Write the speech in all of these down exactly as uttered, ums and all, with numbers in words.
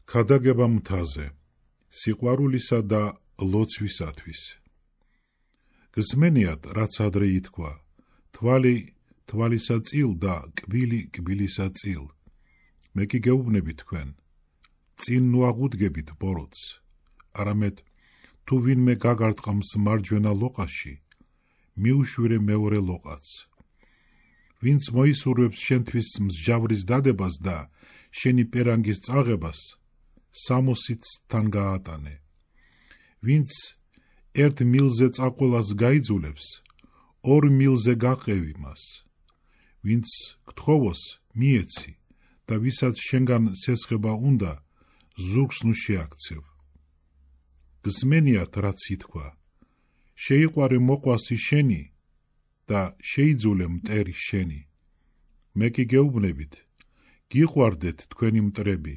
ქადაგება მთაზე, სიყვარულისა და ლოცვისათვის. გსმენიათ, რაც ადრე ითქვა, თვალი თვალისა წილ და კბილი კბილისა წილ. მე კი გეუბნები თქვენ, წინ ნუაღუდგებით ბოროტს, არამედ თუ ვინმე გაგარტყამს მარჯვენა ლოყაში, მიუშვირე მეორე ლოყაც. ვინც მოისურვებს შენთვის მსჯავრის დადებას და შენი პერანგის წაღებას, სამოსით თან გაატანე. ვინც ერთ მილზე წაყოლას გაიძულებს, ორ მილზე გაყევი მას. ვინც გთხოვოს, მიეცი და ვისაც შენგან სესხება უნდა, ზურგს ნუ შეაქცევ. გსმენიათ, რაც ითქვა, შეიყვარე მოყვასი შენი და შეიძულე მტერი შენი. მე კი გეუბნებით, გიყვარდეთ თქვენი მტრები,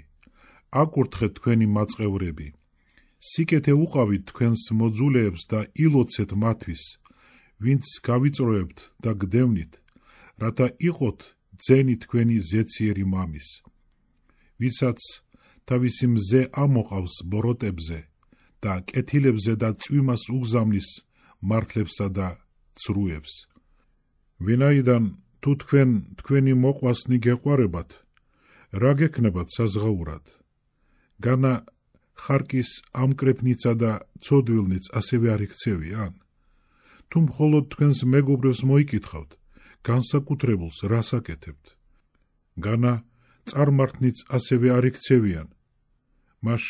აკურთხეთ თქვენი მაწყევრები, სიკეთე უყავით თქვენს მოძულეებს და ილოცეთ მათვის, ვინც გავიწროებთ და გდევნით, რათა იყოთ ძენი თქვენი ზეციერი მამის. ვისაც თავისი მზე ამოყავს ბოროტებზე და კეთილებზე და წვიმას უგზავნის მართლებსა და ცრუებს. ვინაიდან თუ თქვენ თქვენი მოყვასნი გეყვარებათ, რა გექნებათ საზღაურად? განა ხარკის ამკრეფნიცა და ცოდვილნიც ასევე არ იქცევიან? თუ მხოლოდ თქვენს მეგობრებს მოიკითხავთ, განსაკუთრებულს რას აკეთებთ? განა წარმართნიც ასევე არ იქცევიან? მაშ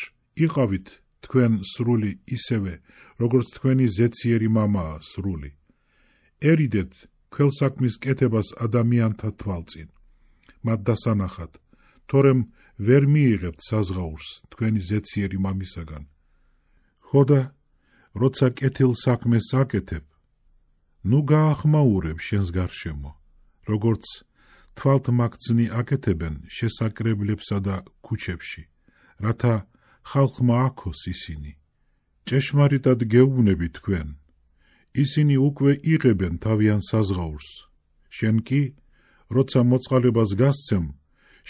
იყავით თქვენ სრული ისევე, როგორც თქვენი ზეციერი მამაა სრული. ერიდეთ ქველსაქმის კეთებას ადამიანთა თვალწინ, მათ დასანახად, თორემ ვერ მიიღებთ საზღაურს თქვენი ზეციერი მამისაგან. ხოდა, როცა კეთილ საქმეს აკეთებ, ნუ გაახმაურებ შენს გარშემო, როგორც თვალთმაქცნი აკეთებენ შესაკრებლებსა და ქუჩებში, რათა ხალხმა აქოს ისინი. ჭეშმარიტად გეუბნები თქვენ, ისინი უკვე იღებენ თავიან საზღაურს. შენ კი, როცა მოწყალებას გასცემ,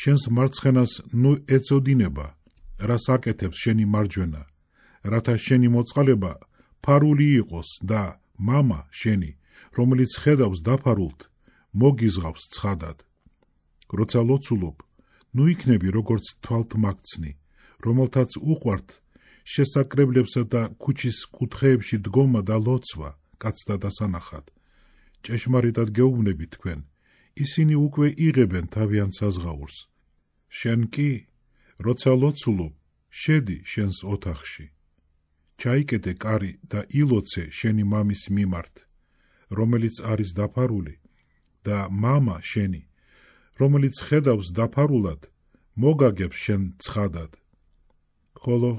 შენს მარცხენას ნუ ეწოდინება, რას აკეთებს შენი მარჯვენა, რათა შენი მოწყალება ფარული იყოს და მამა შენი, რომელიც ხედავს დაფარულთ, მოგიზღავს ცხადად. როცა ლოცულობ, ნუ იქნები როგორც თვალთმაქცნი, რომელთაც უყვართ შესაკრებლებსა და ქუჩის კუთხეებში დგომა და ლოცვა, კაცთა დასანახად. ჭეშმარიტად გეუბნები თქვენ, ისინი უკვე იღებენ თავიან საზღაურს. შენ კი, როცა ლოცულობ, შედი შენს ოთახში. ჩაიკეტე კარი და ილოცე შენი მამის მიმართ, რომელიც არის დაფარული, და მამა შენი, რომელიც ხედავს დაფარულად, მოგაგებს შენ ცხადად. ხოლო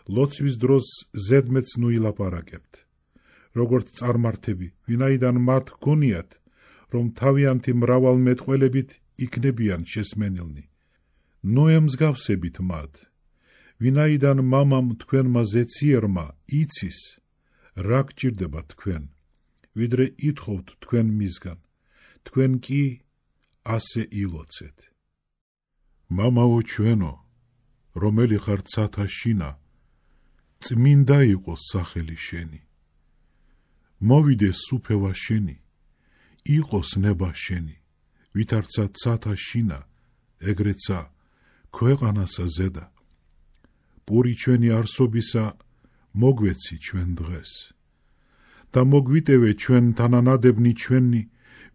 ლოცვის დროს ზედმეც ნუ ილაპარაკებთ, როგორც წარმართები, ვინაიდან მათ გონიათ, რომ თავიანთი მრავალმეტყველებით იქნებიან შესმენილნი. ნუ ემსგავსებით მათ, ვინაიდან მამამ თქვენმა ზეციერმა იცის, რა გჭირდება თქვენ, ვიდრე ითხოვთ თქვენ მისგან, თქვენ კი ასე ილოცეთ. მამაო ჩვენო, რომელი ხარ ცათა შინა, წმინდა იყოს სახელი შენი. მოვიდეს სუფევა შენი, იყოს ნება შენი, ვითარცა ცათა შინა, ეგრეცა ქვეყანასა ზედა. პური ჩვენი არსობისა მოგვეცი ჩვენ დღეს და მოგვიტევე ჩვენ თანანადებნი ჩვენი,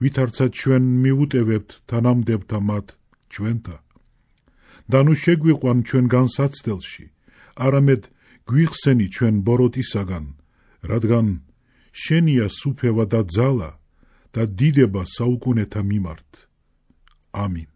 ვითარცა ჩვენ მიუტევებთ თანამდებთა მათ ჩვენთა. და ნუ შეგვიყვან ჩვენ განსაცდელში, არამედ გვიხსენი ჩვენ ბოროტისაგან, რადგან შენია სუფევა და ძალა და დიდება საუკუნეთა მიმართ. ამინ.